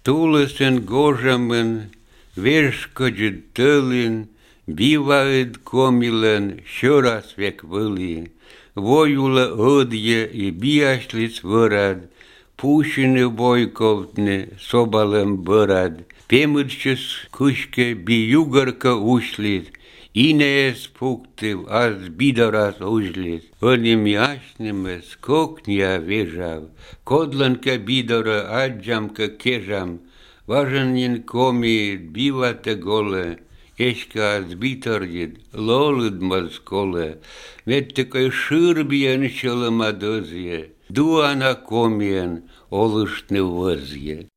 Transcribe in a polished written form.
Tuulisen gožamen, verškodžid tölin, bivaid komilen, šoras vek võli. Vojula õdje I biašlic võrad, pušine vojkovtne sobalem bărad. Pemõršis kuške bi jugarka ušlit, Inees puktiv az bidaras užlis. Õnimi ašnimes koknja vežav, Kodlanka bidara adžamka kežam, Važanin komi bivate gole, Eška az bitarjid, loludmaz kole, Vette kai šırbien šılama dözje, Duana komien olıştne vözje.